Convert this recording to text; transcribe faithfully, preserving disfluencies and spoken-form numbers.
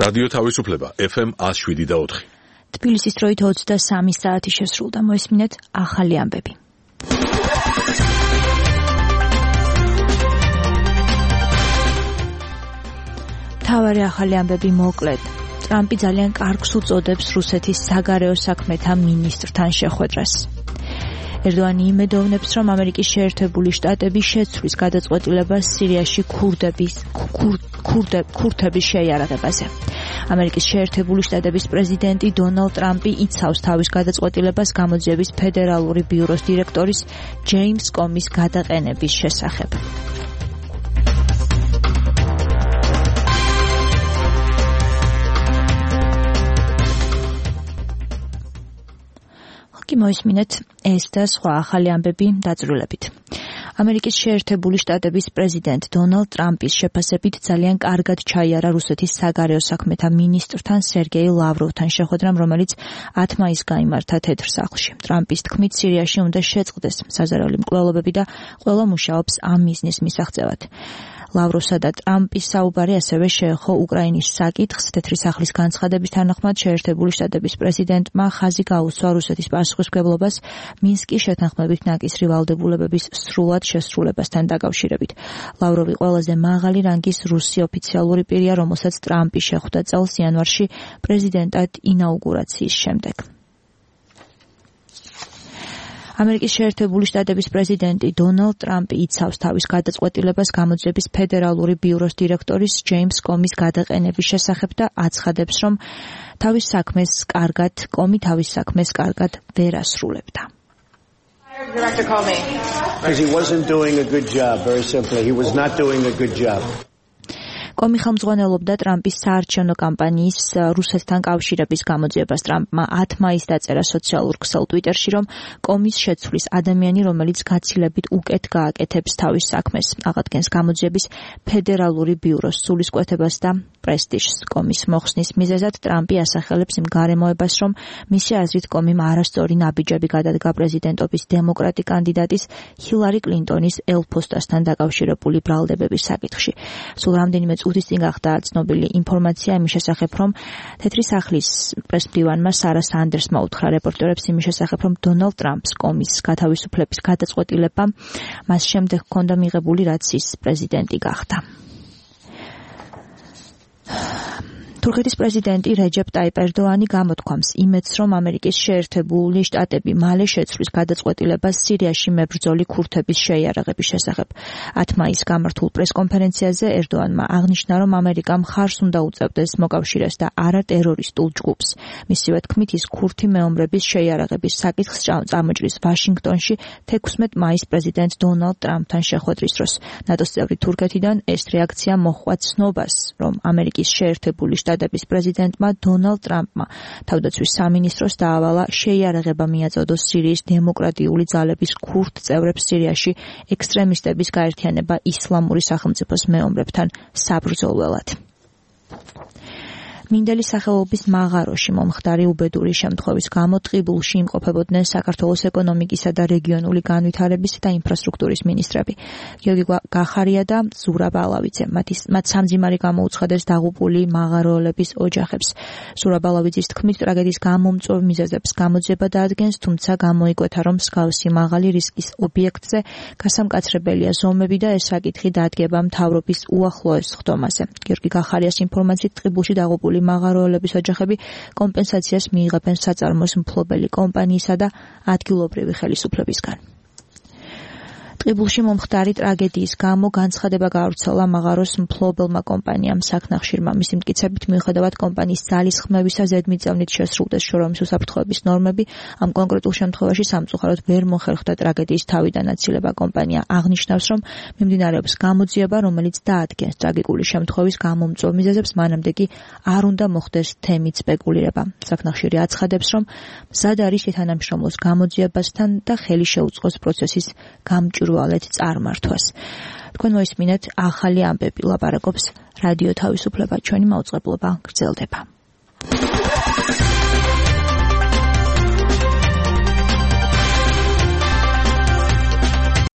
რადიო თავისუფლება ეფ ემ one oh seven point four. თბილისის დროით ოცდასამი საათი შესრულდა. მოისმინეთ ახალი ამბები. მთავარი ახალი ამბები მოკლედ. ტრამპი ძალიან კარგს უწოდებს რუსეთის საგარეო საქმეთა მინისტრთან შეხვედრას. ერდოანი იმედოვნებს, რომ ამერიკის შეერთებული შტატები შეცვლის გადაწყვეტილებას სირიაში ქურდების ქურთების შეიარაღებაზე. ამერიკის შეერთებული შტატების პრეზიდენტი დონალდ ტრამპი იცავს თავის გადაწყვეტილებას გამოძიების ფედერალური ბიუროს დირექტორის ჯეიმს კომის გადაყენების შესახებ. მოისმინეთ ეს და სხვა ახალი ამბები დაწვრილებით. ამერიკის შეერთებული შტატების პრეზიდენტ დონალდ ტრამპის შეფასებით ძალიან კარგად ჩაიარა რუსეთის საგარეო საქმეთა მინისტრთან სერგეი ლავროვთან შეხვედრამ, რომელიც ათ მაისს გაიმართა თეთრ სახლში. ტრამპის თქმით, სირიაში უნდა შეწყდეს საზარელი მკვლელობები და ყველა მუშაობს ამ მიზნის მისაღწევად. ლავროვსა და ტრამპის საუბარი ასევე შეეხო უკრაინის საკითხს. თეთრი სახლის განცხადების თანახმად შეერთებული შტატების პრეზიდენტმა ხაზი გაუსვა რუსეთის პასუხისმგებლობას მინსკის შეთანხმებით ნაკისრი ვალდებულებების სრულად შესრულებასთან დაკავშირებით. ლავროვი ყველაზე მაღალი რანგის რუსი ოფიციალური პირია, რომელსაც ტრამპი შეხვდა წელს იანვარში პრეზიდენტად ინაუგურაციის შემდეგ. ამერიკის შეერთებული შტატების პრეზიდენტი დონალდ ტრამპი იცავს თავის გადაწყვეტილებას გამოძიების ფედერალური ბიუროს დირექტორის ჯეიმს კომის გადაყენების შესახებ და აცხადებს, რომ თავის საქმეს კარგად კომი თავის საქმეს კარგად ვერ ასრულებდა. Director Comey. Because he wasn't doing a good job, very simply. He was not doing a good job. კომი ხელმძღვანელობდა ტრამპის საარჩევნო კამპანიის რუსეთთან კავშირების გამოძიებას. ტრამპმა ათ მაისს დაწერა სოციალურ ქსელ ტვიტერში, რომ კომის შეცვლის ადამიანი, რომელიც გაცილებით უკეთ გააკეთებს თავის საქმეს, აღადგენს გამოძიების ფედერალური ბიუროს სულისკვეთებას და პრესტიჟს. კომის მოხსნის მიზეზად ტრამპი ასახელებს იმ გარემოებას, რომ მისი აზრით კომიმ არასწორი ნაბიჯები გადადგა პრეზიდენტობის დემოკრატი კანდიდატის ჰილარი კლინტონის ელფოსტასთან დაკავშირებული ბრალდებების საკითხში. სულ რამდენიმე წუთის წინ გახდა ცნობილი ინფორმაცია იმის შესახებ, რომ თეთრი სახლის პრესმდივანმა სარა სანდერსმა უთხრა რეპორტერებს იმის შესახებ, რომ დონალდ ტრამპს კომის გათავისუფლების გადაწყვეტილება მას შემდეგ ჰქონდა მიღებული, რაც ის პრეზიდენტი გახდა. თურქეთის პრეზიდენტი რეჯეპ ტაიპ ერდოანი გამოთქვამს იმედს, რომ ამერიკის შეერთებული შტატები მალე შეცვლის გადაწყვეტილებას სირიაში მებრძოლი ქურთების შეიარაღების შესახებ. ათ მაისს გამართულ პრესკონფერენციაზე ერდოანმა აღნიშნა, რომ ამერიკა მხარს უნდა უწევდეს მოკავშირეს და არა ტერორისტულ ჯგუფს. მისივე თქმით, ის ქურთი მეომრების შეიარაღების საკითხს წამოჭრის ვაშინგტონში თექვსმეტ მაისს პრეზიდენტ დონალდ ტრამპთან შეხვედრის დროს. ნატოს წევრი თურქეთიდან ეს რეაქცია მოჰყვა ცნობას, რომ ამერიკის შეერთებული შტატების პრეზიდენტმა დონალდ ტრამპმა თავდაცვის სამინისტროს დაავალა შეიარაღება მიაწოდოს სირიის დემოკრატიული ძალების ქურთ წევრებს სირიაში ექსტრემისტების გაერთიანება ისლამური სახელმწიფოს მეომრებთან საბრძოლველად. მინდელი სახელობის მაღაროში მომხდარი უბედური შემთხვევის გამო ტყიბულში იმყოფებოდნენ საქართველოს ეკონომიკისა და რეგიონული განვითარების და ინფრასტრუქტურის მინისტრები გიორგი გახარია და ზურაბ ალავიძე. მათ სამძიმარი გამოუცხადეს დაღუპული მაღაროელების ოჯახებს. ზურაბ ალავიძის თქმით, ტრაგედიის გამომწვევ მიზეზებს გამოძიება დაადგენს, თუმცა გამოიკვეთა, რომ მსგავსი მაღალი რისკის ობიექტზე გასამკაცრებელია ზომები და ეს საკითხი დადგება მთავრობის უახლოეს ხდომაზე. გიორგი გახარიას ინფორმაციით, ტყიბულში დაღუპული მაღაროელების ოჯახები კომპენსაციას მიიღებენ საწარმოს მფლობელი კომპანიისა და ადგილობრივი ხელისუფლებისგან. ტყიბულში მომხდარი ტრაგედიის გამო განცხადება გაავრცელა მაღაროს მფლობელმა კომპანიამ საქნახშირმა. მისი მტკიცებით, მიუხედავად კომპანიის ძალისხმევისა, ზედმიწევნით შესრულდეს შორეულობის უსაფრთხოების ნორმები, ამ კონკრეტულ შემთხვევაში სამწუხაროდ ვერ მოხერხდა ტრაგედიის თავიდან აცილება. კომპანია აღნიშნავს, რომ მიმდინარეობს გამოძიება, რომელიც დაადგენს ტრაგიკული შემთხვევის გამომწვევ მიზეზებს, მანამდე კი არ უნდა მოხდეს თემით სპეკულირება. საქნახშირი აცხადებს, რომ მზად არის თანამშრომლოს გამოძიებასთან და ხელი შეუწყოს პროცესის გამჭვირვალედ წარმართვას. თქვენ მოისმინეთ ახალი ამბები, ლაპარაკობს რადიო თავისუფლება, ჩვენი მაუწყებლობა გრძელდება.